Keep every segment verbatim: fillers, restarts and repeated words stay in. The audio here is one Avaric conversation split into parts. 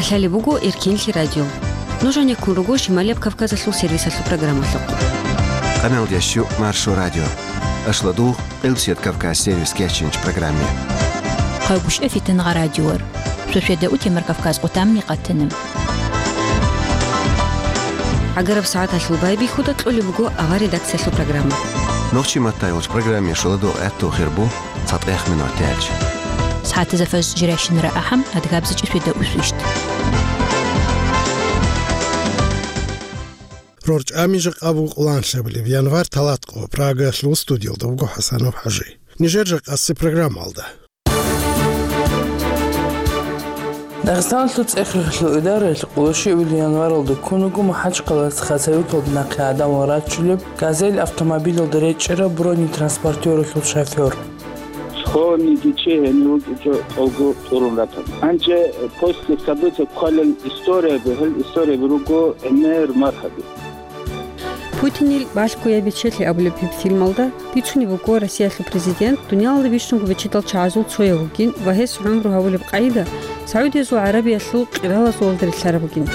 Лъалеб буго Эркинлъи радио. Нуж гьанеккун руго Шималияб Кавказалъул сервисалъул программалъухъ. Къамел ящу Маршо радио. Ашладугъ Къилсият Кавказ сервис кечинч программе. Хъайгъушъа фитангъа радиор. Шошеда утемар Кавказ къутамни къатана. Агараб сагӀаталъул байбихьуда кьолеб буго авар редакциялъул программа. Нохчи маттай олч программе шуладугъ гӀатту хирбу. ЦатӀех минуталъ. СагӀатазда фаж жирайщинара ахӀам, адгабзичӀеб свида усвищт. РорчӀами жакъа буго къоланлъабилеб январь талатӀкъо, Прагаялъул студиялда вуго ХӀасанов ХӀажи. Нижер жакъасеб программалда. Дагъистаналъул цӀех-рехилъул идараялъ къолошиабилеб январалда ккун вуго МахӀачхъалаялъ Хасавюрталда нахъе гӀадамал рачулеб «Газель» автомобилалда речӀчӀараб бронетранспортералъул шофер. Схованный дичи гьенив вукӀинчӀо тӀолго тӀурун ратан. Гьанже после события кколел историяби, гьел историяби руго гӀемер мархаби. Путинил «Балъгояб бечелъи» абулеб гьеб фильмалда бицунеб буго Россиялъул президент дуниялалда бищунго бечедал чагӀазул цояв вугин ва гьес гӀумру гьабулеб къагӀида СагӀудиязул ГӀарабиялъул къиралазулалда релълъараб бугин.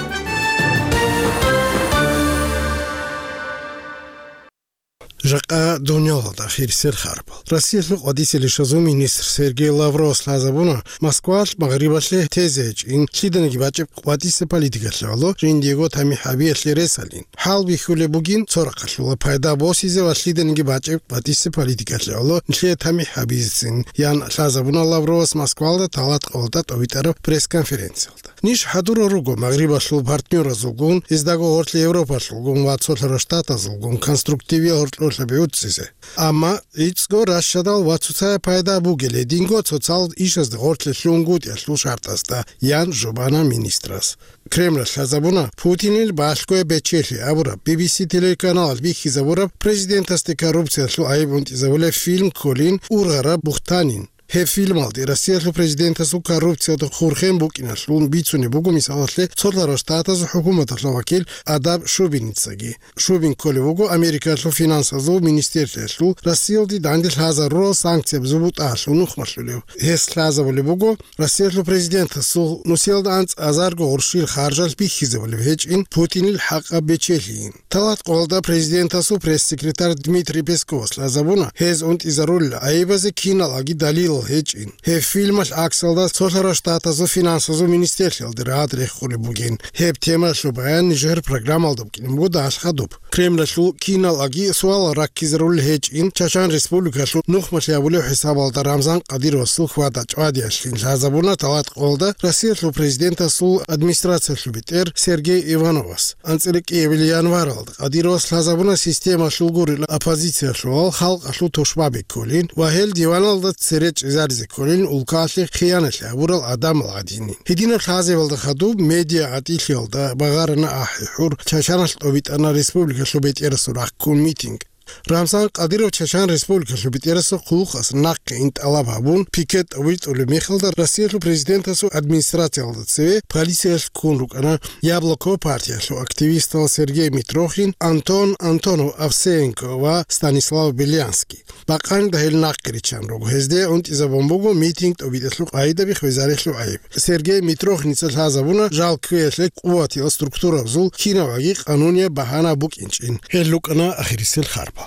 Жакъа дуниялалда хирисел харбал. Россиялъул къватӀисел ишазул министр Сергей Лавровас лъазабуна Москваялъ Магърибалъе тезе гьечӀин лъиданиги бачӀеб къватӀисеб политикалъе гӀоло жиндиего тамихӀ гьабиялъе ресалин. ХӀалбихьулеб бугин цо рахъалъула пайда босизе ва лъиданиги бачӀеб къватӀисеб политикалъе гӀоло нилъее тамихӀ гьабизецин, ян лъазабуна Лавровас Москвалда талатӀкъалда тӀовитӀараб пресс-конференциялда. Ниж хӀадурал руго Магърибалъул партнёразулгун, гьездаго гъорлъ Европалъулгун ва Цолъарал Штатазулгун конструктивиял гьоркьорлъаби гӀуцӀизе. Амма гӀицӀго ращадал ва цоцаяб пайда бугелей динго цоцал ишазда гъорлъе лъугьунгутӀиялъул шартӀасда, ян жубана министрас. Кремлалъ лъазабуна Путинил «Балъгояб бечелъи» абураб, Би Би Си телеканалалъ бихьизабураб президентасде коррупциялъул гӀайиб унтӀизабулеб фильм кколин ургъараб бухтанин. Гьеб фильмалде Россиялъул президентасул коррупциялда хурхен букӀиналъун бицунеб буго, мисалалъе, Цолъарал Штатазул хӀукуматалъул вакил Адам Шубиницаги. Шубин кколев вуго Америкалъул финансазул министрлъиялъул Россиялде данде лъазарурал санкциябазул бутӀаялъул нухмалъулев. Гьес лъазабулеб буго Россиялъул президентасул нусиялда анцӀазарго гъурщил харжалъ бихьизабулеб гьечӀин Путинил хӀакъаб бечелъийин. ТалатӀкъоялда президентасул пресс-секретарь Дмитрий Песковас лъазабуна, гьез унтӀизарулел гӀайибазе киналги далилал гьечӀин. Гьеб фильмалъ гӀаксалда Цолъарал Штатазул финансазул министрлъиялде рагӀад рехулеб бугин. Гьеб темаялъул баян нижер программалда букӀине буго дагьалъ хадуб. Кремлалъул киналги суалал раккизарулел гьечӀин, Чачан Республикалъул нухмалъи абулеб хӀисабалда Рамзан Кадыровасул хьвада-чӀвадиялъин лъазабуна талатӀкъоялда Россиялъул президентасул администрациялъул бетӀер Сергей Ивановас. АнцӀила кӀиабилеб январалда Кадыровас лъазабуна системалъул гурел оппозициялъулал халкъалъул тушбаби кколин ва гьел диваналда цере чӀезаризе кколин улкалъе хиянат гьабурал гӀадамал гӀадинин. Гьединаб лъазабалда хадуб медиа гӀатӀилъиялда багъарана ахӀи-хӀур, Чачаналъ тӀобитӀана республикалъул бетӀерасул рахъун митинг. Рамзан Кадыров Чачан Республикалъул бетӀерасул хъулухъас нахъе ин тӀалаб гьабун, пикет тӀобитӀулеб мехалда Россиялъул президентасул администрациялда цеве полициялъ ккун рукӀана Яблоко партиялъул активистал Сергей Митрохин, Антон Антонов Овсеенко ва Станислав Белянский. Бакъанида гьел нахъе риччан руго, гьезде унтӀизабун буго митинг тӀобитӀалъул къагӀидаби хвезарелъул гӀайиб. Сергей Митрохиница лъазабуна жал кквеялъе къуватиял структурабазул кинабги къанунияб багьана букӀинчӀин. Гьел рукӀана ахирисел харпал.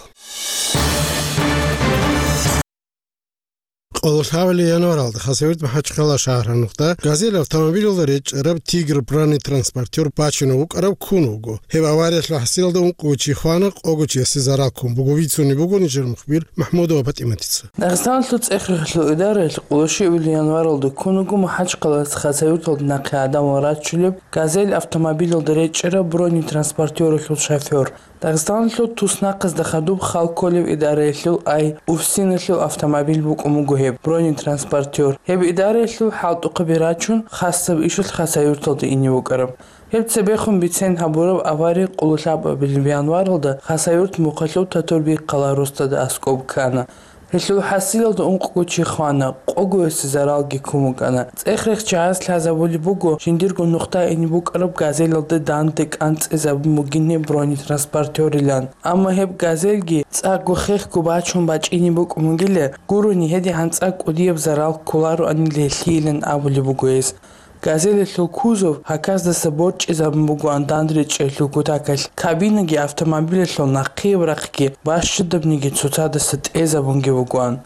Къоло лъабабилеб январалда Хасавюрт МахӀачхъала шагьаралда «Газель» автомобилалда речӀчӀараб «Тигр» бронетранспортер бачунев вукӀараб ккун вуго. Гьеб авариялъул хӀасилалда ункъого чи хвана, къого чиясе зарал ккун буго, бицунеб буго нижер мухбир МахӀмудова ПатӀиматица. Дагъистаналъул цӀех-рехилъул идараялъ къоло щибабилеб январалда ккун вуго МахӀачхъалаялъ Хасавюрталда нахъе гӀадамал рачулеб «Газель» автомобилалда речӀчӀараб бронетранспортералъул шофер. Дагъистаналъул туснахъазда хадуб хал кколеб идараялъул ай УФСИНалъул автомобиль букӀун буго гьеб бронетранспортер. Гьеб идараялъул хӀалтӀухъаби рачун, хасаб ишалъ Хасавюрталда ине букӀараб. Гьеб цебехун бицен гьабураб авария къоло лъабабилеб январалда Хасавюрт мухъалъув Татурбик-Хъала росдада аскӀоб ккана. Гьелъул хӀасилалда ункъго чи хвана, къогоясе заралги ккун букӀана. ЦӀех-рех чагӀаз лъазабулеб буго, жиндирго нухда ине букӀараб «Газелалда» данде кӀанцӀизабун бугин гьеб бронетранспортерилан. Амма гьеб «Газельги» цӀакъго-хехго бачун бачӀине букӀун бугила, гурони гьедигӀан цӀакъ кӀудияб зарал кколароанила гьелъийилан абулеб буго гьес. «Газелалъул» кузов гьаказдаса борчӀизабун бугоан дандречӀелъул кутакалъ, кабинаги автомобилалъул нахъияб рахъги бащадабниги цоцадаса тӀезабунги бугоан.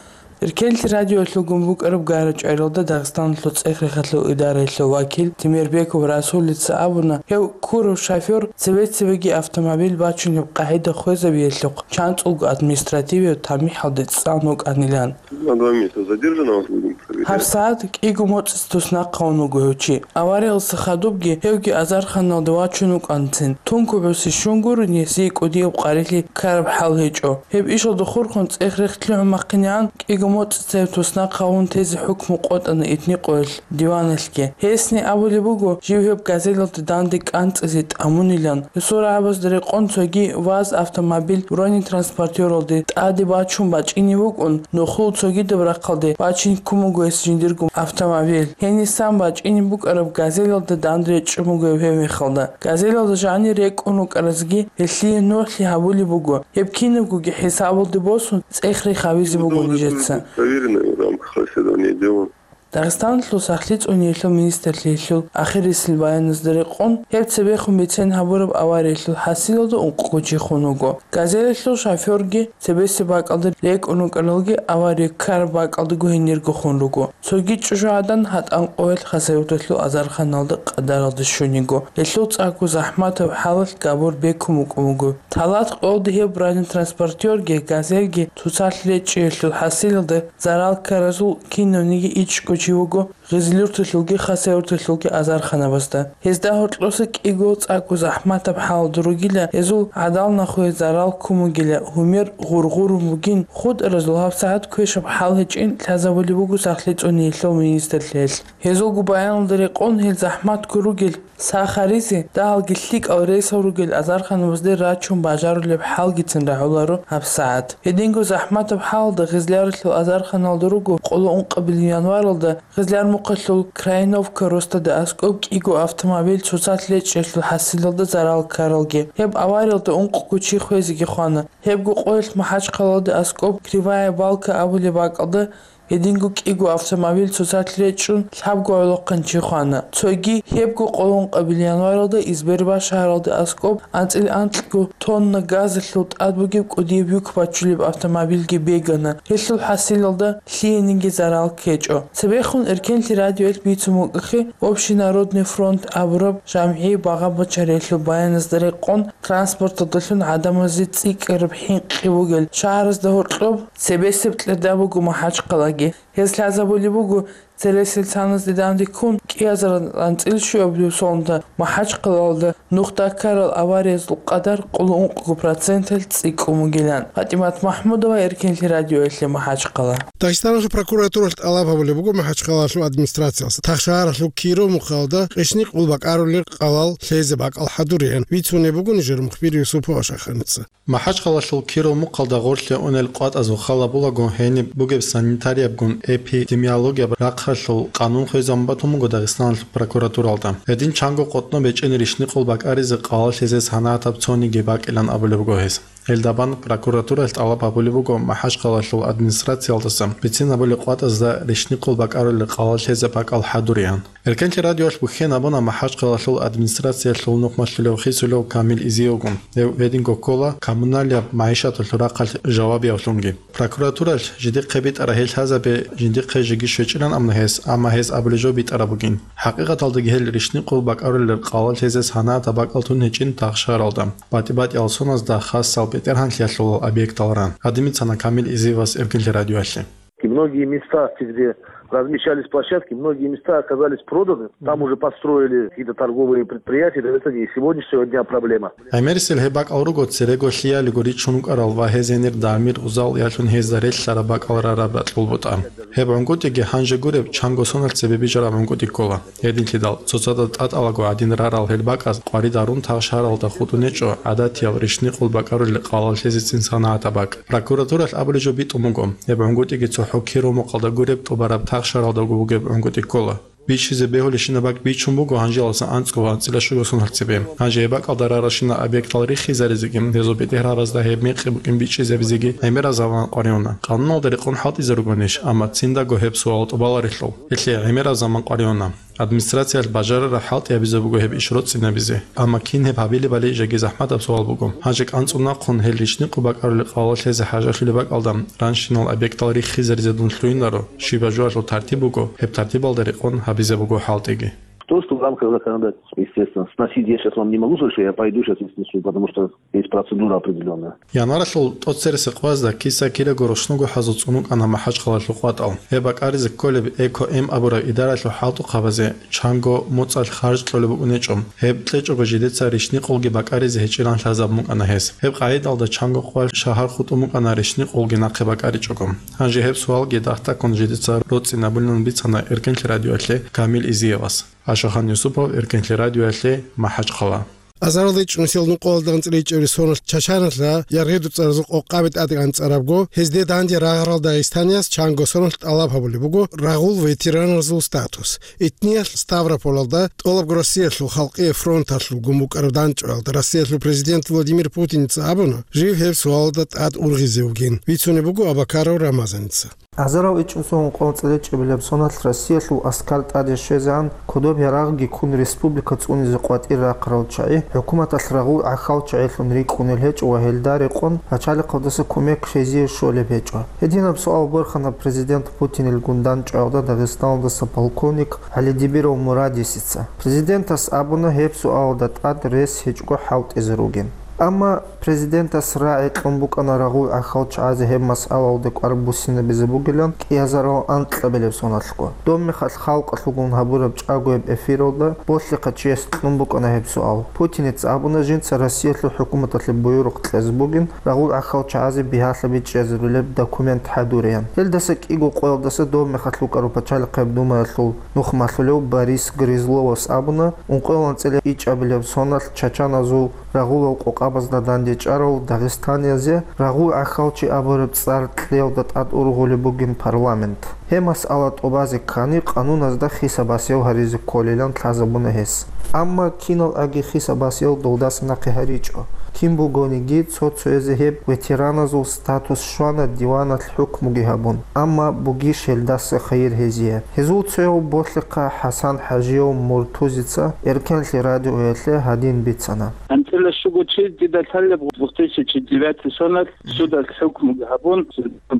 Эркенлъи радиоялъулгун букӀараб гара-чӀваралда Дагъистаналъул цӀех-рехалъул идараялъул вакил Темирбеков Расулица абуна, гьев ккурав шофёр цебе-цебеги автомобиль бачунеб къагӀида хвезабиялъухъ чанцӀулго административияб тамихӀалде цӀан вукӀанилан. На два месяца задержанного будем проверять. ГьабсагӀат кӀиго моцӀица туснахъ гьавун вуго гьев чи. Авариялдаса хадубги гьевги азарханалде вачун вукӀанцин. Тункуб гӀуси щун гурони, гьесие кӀудияб къварилъи ккараб хӀал гьечӀо. Гьеб ишалда хурхун цӀех-рех лъугӀун-махъинегӀан, кӀиго моцӀица гьев туснахъ гьавун тезе хӀукму къотӀана Этникъоялъ диваналъги. Гьесни абулеб буго, жив гьеб газелалда данде кӀанцӀизе тӀамунилан. Гьесул рагӀабазда рекъон цоги ВАЗ автомобиль бронетранспортералде тӀаде бачун бачӀине букӀун, нухлул цогидаб рахъалде бачин ккун буго гьес жиндирго автомобиль. Гьенисан бачӀине букӀараб газелалда данде речӀчӀун буго гьев гьеб мехалда. Газелалда жанир рекӀун рукӀаразги гьелъие нугӀлъи гьабулеб буго. Гьеб кинабгоги хӀисабалде босун, цӀех-рех гьавизе буго нижеца. Проверенный в рамках расследования дела. Дагъистаналъул сахлъи цӀуниялъул министрлъиялъул ахирисел баяназда рекъон, гьеб цебехун бицен гьабураб авариялъул хӀасилалда ункъго чи хун вуго. Газелалъул шофёрги цебесеб бакӀалда рекӀун рукӀаралги авария ккараб бакӀалдаго гьенирго хун руго. Цоги чӀужугӀадан ГьатӀан къоялъ Хасавюрталъул азарханалда къадаралде щун йиго. Гьелъул цӀакъго захӀматаб хӀалалъ габур бекун букӀун буго. Талат къоялда гьеб бронетранспортерги, газельги цоцалъ речӀчӀиялъул хӀасилалда зарал ккаразул кинавниги ичӀго чи вуго Гъизлюрталъулги Хасавюрталъулги азарханабазда. Гьезда гьоркьоса кӀиго цӀакъго захӀматаб хӀалалда ругила, гьезул гӀадал нахуе зарал ккун бугила, гьумер гъургъурун бугин, хутӀаразул гьабсагӀат квешаб хӀал гьечӀин лъазабулеб буго сахлъи цӀуниялъул министрлъиялъ. Гьезулго баяналда рекъон, гьел захӀматго ругел, сахаризе, дагьалги лъикӀал рейсал ругел азарханабазде рачун бажарулеб хӀалгицин рагӀуларо гьабсагӀат. Гьединго захӀматаб хӀалалда Гъизляралъул азарханалда руго къоло ункъабилеб январалда Гъизлярмухъалъул Крайновка росдада аскӀоб кӀиго автомобиль цоцалъ речӀчӀиялъул хӀасилалда зарал ккаралги. Гьеб авариялда ункъго чи хвезеги хвана. Гьебго къоялъ МахӀачхъалалда аскӀоб Кривая Балка абулеб бакӀалда гьединго кӀиго автомобиль цоцалъ речӀчӀун лъабго гӀолохъанчи хвана. Цоги гьебго къоло ункъабилеб январалда Избербаш шагьаралда аскӀоб анцӀила анкьго тонна газалъул тӀад бугеб кӀудияб юк бачулеб автомобильги бегана. Гьелъул хӀасилалда лъиениги зарал ккечӀо. Цебехун Эркенлъи радиоялъ бицун букӀахъе, Общенародный фронт абураб жамгӀи багъа-бачариялъул баяназда рекъон, транспорталдалъун гӀадамазе цӀикӀкӀараб хӀинкъи бугел шагьаразда гьоркьоб цебесеб кьерда буго МахӀачхъалаги. Гьез лъазабулеб буго, цересел саназде данде ккун, кӀиазаран анцӀила щуабилеб соналда МахӀачхъалалда нухда ккарал авариязул къадар къоло ункъго проценталъ цӀикӀкӀун бугилан. ПатӀимат МахӀмудова, Эркенлъи радиоялъе, МахӀачхъала. Дагъистаналъул прокуратуралъ тӀалаб гьабулеб буго МахӀачхъалалъул администрациялъ, Тахшагьаралъул Киров мухъалда рещтӀинкъул бакӀарулел къалал лъезе бакӀал хӀадуриан. Бицунеб бугони жер мухбир Юсупова Шаханица. МахӀачхъалалъул Киров мухъалда гъорлъе унел къватӀазул хал гьабулаго, гьениб бугеб санитариябгун эпидемиологияб рахъалъул къанун хвезабун батун буго Дагъистаналъул прокуратуралда. Гьедин чанго къотӀноб гьечӀин рещтӀинкъул бакӀаризе къалал лъезе санагӀатаб цониги бакӀилан абулеб буго гьес. Гьелдабан прокуратуралъ тӀалаб гьабулеб буго МахӀачхъалалъул администрациялдаса бицин гьабулеб къватӀазда рещтӀинкъул бакӀарулел къалал лъезе бакӀал хӀадуриан. Эркенлъи радиоялъ бухьен абуна МахӀачхъалалъул администрациялъул нухмалъулев хисулев Камил Изиевгун. Гьев гьединго ккола коммуналияб магӀишаталъул рахъалъ жавабиявлъунги. Прокуратуралъ жидехъе битӀараб гьел лъазабе жиндихъе жеги щвечӀилан абуна гьес, амма гьез абулеб жо битӀараб бугин. ХӀакъикъаталдаги гьел рещтӀинкъул бакӀарулел къалал лъезе санагӀатаб бакӀал тун гьечӀин Тахшагьаралда, батӀи-батӀиял соназда хасал бетӀергьанлъиялъул объектал ран. Гьадин бицана Камил Изиевас Эркенлъи радиоялъе. И многие места, где размещались площадки, многие места оказались проданы. Там уже построили какие-то торговые предприятия. Это и сегодняшнего дня проблема. ГӀемерисел гьеб бакӀал руго церего лъиялиго ричун рукӀарал ва гьез гьенир дагьмир узал ялъун гьезда релълъараб бакӀал рараб ракьул бутӀа. Гьеб гӀунгутӀиги гьанже гуреб чанго соналъ цебе бижараб гӀунгутӀи ккола. Гьединлъидал, цоцазда тӀатӀалаго гӀадин рарал гьел бакӀаз къварид гьарун Тахшагьаралда хутӀун гьечӀо гӀадатиял рещтӀинкъул бакӀарулел къалал лъезецин санагӀатаб бакӀ. Прокуратуралъ абулеб жо битӀун буго, гьеб гӀунгутӀиги цохӀо Киров мухъалда гуреб тӀубараб Тахшагьаралдаго бугеб гӀунгутӀи ккола. Бичизе бегьулебщинаб бакӀ бичун буго гьанжеялдаса анцӀго ва анцӀила щуго соналъ цебе. Гьанже гьеб бакӀалда раралщинаб объектал риххизаризеги, гьезул бетӀергьаназда гьеб мекъи букӀин бичӀчӀизабизеги гӀемераб заман къваригӀуна. Къануналда рекъон хӀалтӀизе ругонищ, амма циндаго гьеб суал тӀубаларелъул. Гьелъие гӀемераб заман къваригӀуна. Администрациялъ бажарараб хӀалтӀи гьабизе буго гьеб иш роцӀцӀинабизе. Амма кин гьеб гьабилебали жеги захӀматаб суал буго. Гьанже кӀанцӀун нахъун гьел рищникъун бакӀарулел къвалалъезе хӀажалъулеб бакӀалда, ранщинал объектал риххизаризе дун лъугьинаро, щибаб жоялъул тартиб буго, гьеб тартибалда рекъон гьабизе буго хӀалтӀиги. То, что в рамках законодательства, естественно, сносить я сейчас вам не могу, что я пойду сейчас и снесу, потому что есть процедура определённая. Январалъул тӀоцересеб къоязда киса-кираго рушнуго хӀазуцӀун вукӀана МахӀачхъалалъул къватӀал. Гьеб бакӀаризе кколеб Эко-М абураб идаралъул хӀалтӀухъабазе чанго моцӀалъ харж кьолеб букӀун гьечӀо. Гьеб кьечӀого жидеца рищникъулги бакӀаризе гьечӀилан лъазабун букӀана гьес. Гьеб къагӀидалда чанго къвалъ шагьар хутӀун букӀана рищникъулги нахъе бакӀаричӀого. Гьанже гьеб суалги дагь-дагьккун жидеца роцӀцӀинабулин бицана Эркенлъи радиоялъе Камил Изиевас. Ашахан Юсупов, Эркенлъи радиоялъе, МахӀачхъала. Азаралда ичӀнусел нукъоялда анцӀила ичӀабилеб соналъ Чачаналъа яргъиду цӀаразул къокъаби тӀаде анцӀарабго, гьезде данде рагъарал дагъистанияс чанго соналъ тӀалаб гьабулеб буго рагъул ветераназул статус. Итниялъ Ставрополалда тӀолабго Россиялъул халкъие фронталъулгун букӀараб дандчӀваялда Россиялъул президент Владимир Путиница абуна, жив гьеб суалалда тӀад ургъизе вугин. Бицунеб буго Абакаров Рамазаница. Азарал ичӀнусул нукъоялда анцӀила ичӀабилеб соналъ Россиялъул аскар тӀаде щвезегӀан, кодоб ярагъги ккун республика цӀунизе къватӀир рахъарал чагӀи, хӀукуматалъ рагъул гӀахьалчагӀилъун рикӀкӀунел гьечӀо ва гьелда рекъон пачалихъалдаса кумек гьезие щолеб гьечӀо. Гьединаб суал борхана президент Путинилгун дандчӀваялда Дагъистаналдаса полковник ГӀалидибиров Мурадисица. Президентас абуна, гьеб суалалда тӀад рес гьечӀого хӀалтӀизе ругин. Амма президентас рагӀи кьун букӀана рагъул гӀахьалчагӀазе гьеб масъалалда кӀвар буссинабизе бугилан кӀиазарал анкьабилеб соналъго. Доб мехалъ халкъалъулгун гьабураб чӀагояб эфиралда болъихъа чияс кьун букӀана гьеб суал. Путиница абуна, жинца Россиялъул хӀукуматалъе буюрухъ кьезе бугин рагъул гӀахьалчагӀазе бигьалъаби чӀезабилеб документ хӀадуреян. Гьелдаса кӀиго къоялдаса доб мехалъ вукӀарав пачалихъаб думаялъул нух малъулев Борис Грызловас абуна, ункъоялда анцӀила ичӀабилеб соналъ чачаназул рагъулал къокъабазда дандечӀарал дагъистаниязе рагъул гӀахьалчи абураб цӀар кьеялда тӀад ургъулеб бугин парламент. Гьеб масъала тӀубазе ккани, къануназда хисабасиял гьаризе кколилан лъазабуна гьес. Амма киналгӀаги хисабасиял долдаса нахъе гьаричӀо. Кин бугониги, цо-цоязе гьеб ветераназул статус щвана диваналъ хӀукмуги гьабун, амма бугищ гьелдаса хайир гьезие? Гьезул цояв болъихъа ХӀасан ХӀажияв Муртузица Эркенлъи радиоялъе гьадин бицана. АнцӀила щуго чи дида лъалеб две тысячи девятый соналъ судалъ хӀукму гьабун,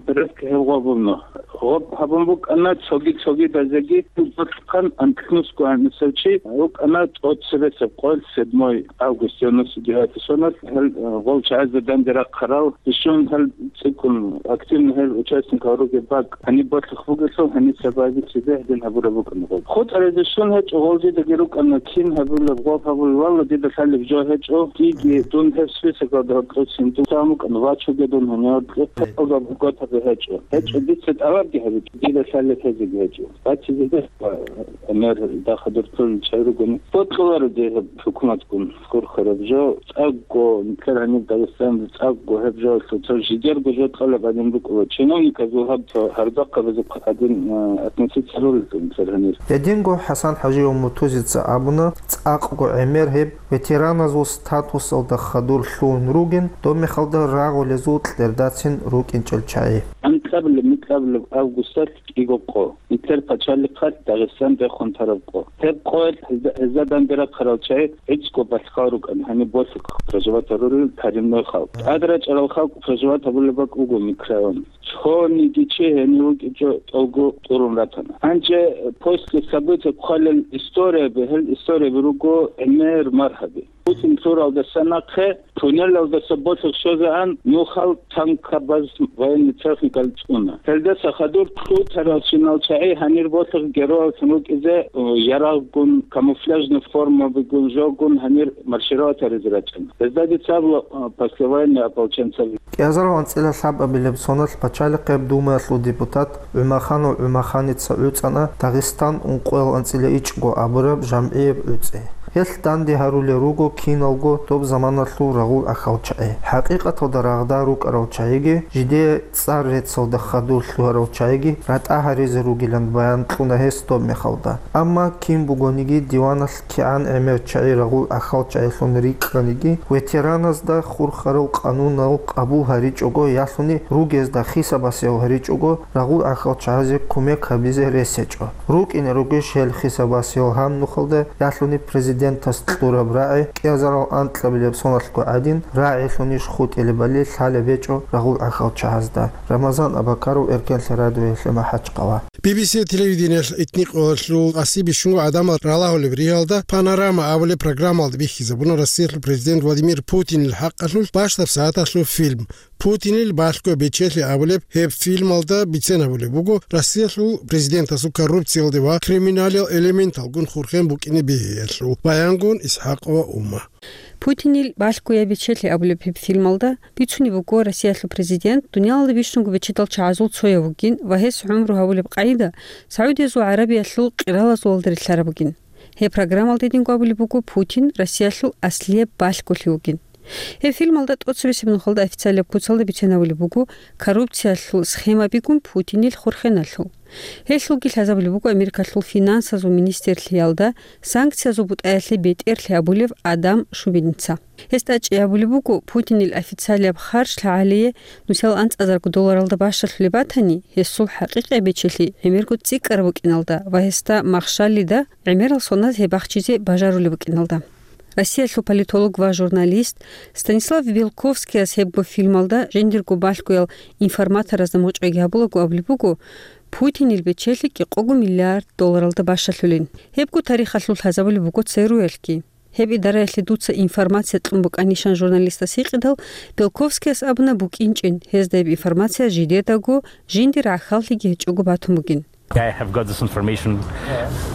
порядке гьев гъобун. Гъоб гьабун букӀана цоги-цогидазеги, гьеб бокьухъан анкьнусго гьанисев чи вукӀана тӀоцебесеб къоялъ, седьмой август девяносто девятый соналъ, гьел, э, гъол чагӀазда данде рахъарал, ишун гьел цӀикӀкӀун активно гьел участникал ругеб бакӀ гьаниб болъухъ бугелъул, гьаниса базе цебе гьедин гьабураб букӀана гъоб. ХутӀаризе щун гьечӀо, гъол дидаги рукӀана, кин гьабулеб, гъоб гьабулеб, валла, дида лъалеб жо гьечӀо, диги дун гьеб списогалда гьоркьосин дун тан вукӀана, вачуге дун гьанив гьоркье, гьеб гъоб гъотазе гьечӀо. ГьечӀо, дица тӀалабги гьабичӀо, дида лъалеб гьезеги гьечӀо. Бачизеде ва гӀемер дахъа дуртулел чагӀи ругони, бокьуларо дир хӀукуматгун хурхараб жо, цӀакъго, нилъер гьаниб Дагъистаналда цӀакъго гьеб жоялъул цо жидерго жо тӀалаб гьадин букӀула. Чиновниказул гьаб цо гьардахъабазухъ гьадин, а, относиться ролел нилъер гьанир. Гьединго ХӀасан ХӀажияв Муртузица абуна, цӀакъго гӀемер гьеб ветераназул статусалда хадур лъугьун ругин, доб мехалда рагъулезул кьердацин рукӀинчӀел чагӀи. Анкьабилеб-микьабилеб августалъ кӀиго къо. Нилъер пачалихъалъ Дагъистан рехун тараб къо. Гьеб къоялъ гьезда, гьезда данде рахъарал чагӀи гӀицӀго балъгъал рукӀана, гьаниб болъухъ проживать гьарулел коренной халкъ. ТӀад рачӀарал халкъ проживать гьабулеб бакӀ буго микрорайон. Цониги чи гьенив вукӀинчӀо тӀолго тӀурун ратана. Гьанже после событий хъвалел историяби, гьел историяби руго гӀемер маргьаби. Путин лъуралдаса нахъе туннелалдаса болъухъ щвезегӀан нухал танкабаз военный техникал цӀуна. Гьелдаса хадур лъутаралщинал чагӀи гьанир болъухъ геройаллъун рукӀизе, о, ярагъгун, камуфляжный формабигун жогун гьанир маршировать гьаризе рачӀана. Гьезда дица абула, о, послевоенный ополченцаби. КӀиазарал анцӀила лъабабилеб соналъ пачалихъеб думаялъул депутат ГӀумаханов ГӀумаханица гӀуцӀана Дагъистан ункъоял анцӀила ичӀго абураб жамгӀияб гӀуцӀи. Гьелъ данде гьарулел руго киналго доб заманалъул рагъул ахьал чагӀи. ХӀакъикъаталда рагъда рукӀарал чагӀиги, жидее цӀар-реццалда хадур лъугьарал чагӀиги ратӀа гьаризе ругилан баян кьуна гьес доб мехалда. Амма кин бугониги диваналъ кигӀан гӀемер чагӀи рагъул ахьал чагӀилъун рикӀкӀаниги, ветераназда хурхарал къанунал къабул гьаричӀого ялъуни ругезда хисабасиял гьаричӀого, рагъул ахьал чагӀазе кумек гьабизе рес гьечӀо. РукӀине ругищ гьел хисабасиял гьаб нухалда ялъуни президентас кьураб рагӀи кӀиазарал анкьабилеб соналъго гӀадин рагӀилъунищ хутӀилебали лъалеб гьечӀо рагъул ахьал чагӀазда. Рамазан Абакаров, Эркенлъи радиоялъе МахӀачхъала. Би би си телевидениялъ итникъоялъул къаси бищунго гӀадамал ралагьулеб ригьалда «Панорама» абулеб программалда бихьизабуна Россиялъул президент Владимир Путинил хӀакъалъулъ бащдаб сагӀаталъул фильм. «Путинил балъго бечелъи» абулеб гьеб фильмалда бицен гьабулеб буго Россиялъул президентасул коррупциялде ва криминалил элементалгун хурхен букӀине бегьиялъул баянгун ИсхӀакъова Ума. «Путинил балъго я бечелъи» абулеб гьеб фильмалда бицунеб буго Россиялъул президент дуниялалда бищунго бечедал чагӀазул цояв вугин ва гьес гӀумру гьабулеб къагӀида СагӀудиязул ГӀарабиялъул къиралазулалда релълъараб бугин. Гьеб программалда гьединго абулеб буго Путин Россиялъул аслияб балъголъи вугин. Гьеб фильмалда тӀоцебесеб нухалда официалияб куцалда бицен гьабулеб буго коррупциялъул схемабигун Путинил хурхеналъул. Гьелъулги лъазабулеб буго Америкалъул финансазул министрлъиялда санкциязул бутӀаялъе бетӀерлъи абулев Адам Шубиница. Гьес тӀачӀи абулеб буго, Путинил официалияб харж лъагӀалие нусиял анцӀазарго долларалда бащалъулеб батани, гьесул хӀакъикъияб бечелъи гӀемерго цӀикӀкӀараб букӀиналда ва гьесда махщалида гӀемерал соназ гьеб бахчизе бажарулеб букӀиналда. Россиялъул политолог ва журналист Станислав Белковскияс гьебго фильмалда жиндирго балъгоял информаторазда мочӀайги гьабулаго абулеб буго, Путинил бечелъи кӀикъого миллиард долларалда бащалъулин. Гьебго тарихалъул лъазабулеб буго ЦРУ-ялъги. Гьеб идараялъе дуца информация кьун букӀанищан журналистас гьикъидал, Белковскияс абуна букӀинчӀин, гьезда гьеб информация жидедаго, жиндир гӀахьаллъиги гьечӀого батун бугин. I have got this information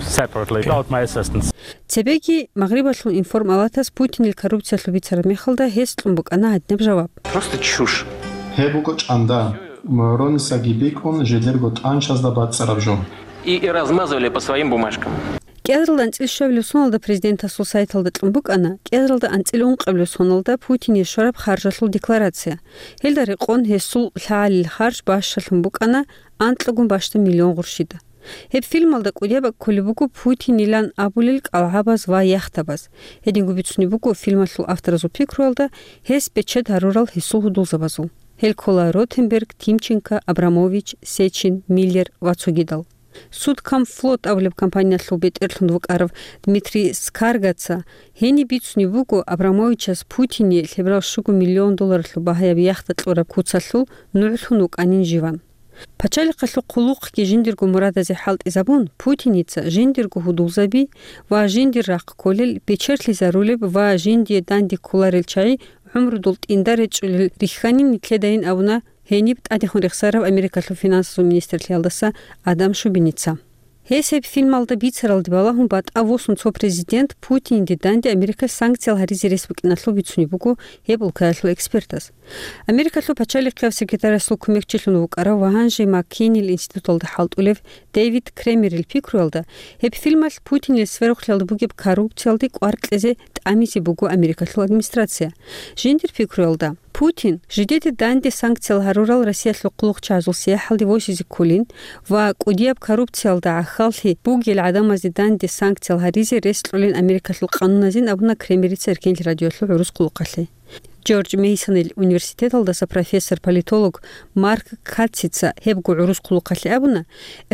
separately without my assistance. Цебеги Магърибалъул информалатас Путинил коррупциялъул бицараб мехалда гьес кьун букӀана гьадинаб жаваб. Просто чушь. Гьеб буго чӀанда, м, Ронисаги бикӀун жидерго тӀанчазда бацӀцӀараб жо. И, и размазывали по своим бумажкам. КӀиазаралда анцӀил щуабилеб соналда президентасул сайталда кьун букӀана, кӀиазаралда анцӀил ункъабилеб соналда Путине щвараб харжалъул декларация. Гьелда рекъон гьесул лъагӀалил харж бащалъун букӀана анкьагун бащдаб миллион гъурщида. Гьеб фильмалда кӀудияб кколеб буго Путинилан абулел кӀалгӀабаз ва яхтабаз. Гьединго бицунеб буго фильмалъул авторазул пикруялда гьес бечед гьарурал гьесул гьудулзабазул. Гьел ккола Ротенберг, Тимченко, Абрамович, Сечин, Миллер ва цогидал. Судкомфлот абулеб компаниялъул бетӀерлъун вукӀарав Дмитрий Скаргаца гьениб бицунеб буго Абрамовичас Путине лъеберал щуго миллион долларалъул багьаяб яхта кьураб куцалъул нугӀлъун вукӀанин живан. Пачалихъалъул хъулухъги жиндирго мурадазе хӀалтӀизабун, Путиница жиндирго гьудулзаби ва жиндир рахъ кколел, бечерлъизарулеб ва жиндие данде кколарел чагӀи гӀумрудул тӀинда речӀчӀулел рихьанин нилъедайин абуна гьениб тӀадехун рехсарав Америкалъул финансазул министрлъиялдаса Адам Шубиница. Гьес гьеб фильмалда бицаралде балагьун батӀа восун цо президент Путинде данде Америкалъ санкциял гьаризе рес букӀиналъул бицунеб буго гьеб улкаялъул экспертас. Америкалъул пачалихъияв секретарасул кумекчилъун вукӀарав ва гьанже МакКейнил институталда хӀалтӀулев Дэвид Кремерил пикруялда, гьеб фильмалъ Путинил сверухълъиялда бугеб коррупциялде кӀвар кьезе тӀамизе буго Америкалъул администрация. Жиндир пикруялда, Путин жидеде данде санкциял гьарурал Россиялъул хъулухъчагӀазул сияхӀалде восизе кколин ва кӀудияб коррупциялда гӀахьаллъи бугел гӀадамазде данде санкциял гьаризе рес кьолин Америкалъул къануназин абуна Кремерица Эркенлъи радиоялъул гӀурус хъулухъалъе. Джордж Мейсонил университеталдаса профессор-политолог Марк Катцица гьебго гӀурус хъулухъалъе абуна,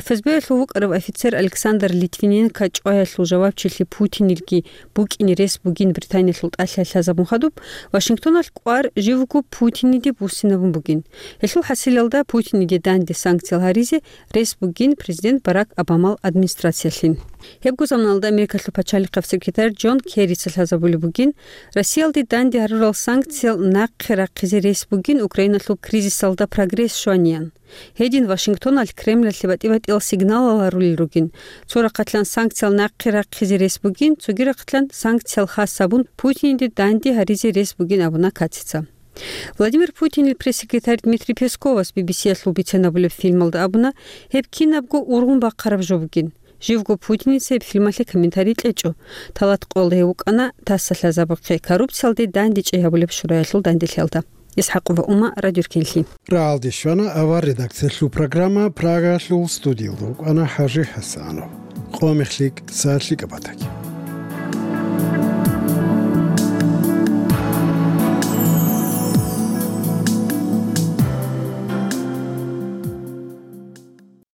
ФСБ-ялъул вукӀарав офицер Александр Литвиненко чӀваялъул жавабчилъи Путинилги букӀине рес бугин Британиялъул тӀалъи лъазабун хадуб, Вашингтоналъ кӀвар живго Путиниде буссинабун бугин. Гьелъул хӀасилалда Путиниде данде санкциял гьаризе рес бугин президент Барак Обамал администрациялъин. Гьебго заманалда Америкалъул пачалихъав секретарь Джон Керрица лъазабулеб бугин, Россиялде данде гьарурал санкциял нахъе рахъизе рес бугин Украиналъул кризисалда прогресс щваниян. Гьедин Вашингтоналъ Кремльалъе батӀи-батӀиял сигналал гьарулел ругин. Цо рахъалъан санкциял нахъе рахъизе рес бугин, цоги рахъалъан санкциял хас гьабун Путиниде данде гьаризе рес бугин абуна Катцица. Владимир Путинил пресс-секретарь Дмитрий Песковас Би Би Си-ялъул бицен гьабулеб фильмалда абуна, гьеб кинабго ургъун бахъараб жо бугин. Живго Путиница гьеб фильмалъе комментарий кьечӀо. Талат Къола гьев вукӀана тасалъазабухъе коррупциялде дандечӀей гьабулеб шураялъул данделъиялда. Исхакъова Ума, Радиоркинлъи. РагӀалде щвана авар редакциялъул программа, Прагалъул студиялда вукӀана ХӀажи ХӀасанов. Къо мехлъи, са лъикӀаб батаги.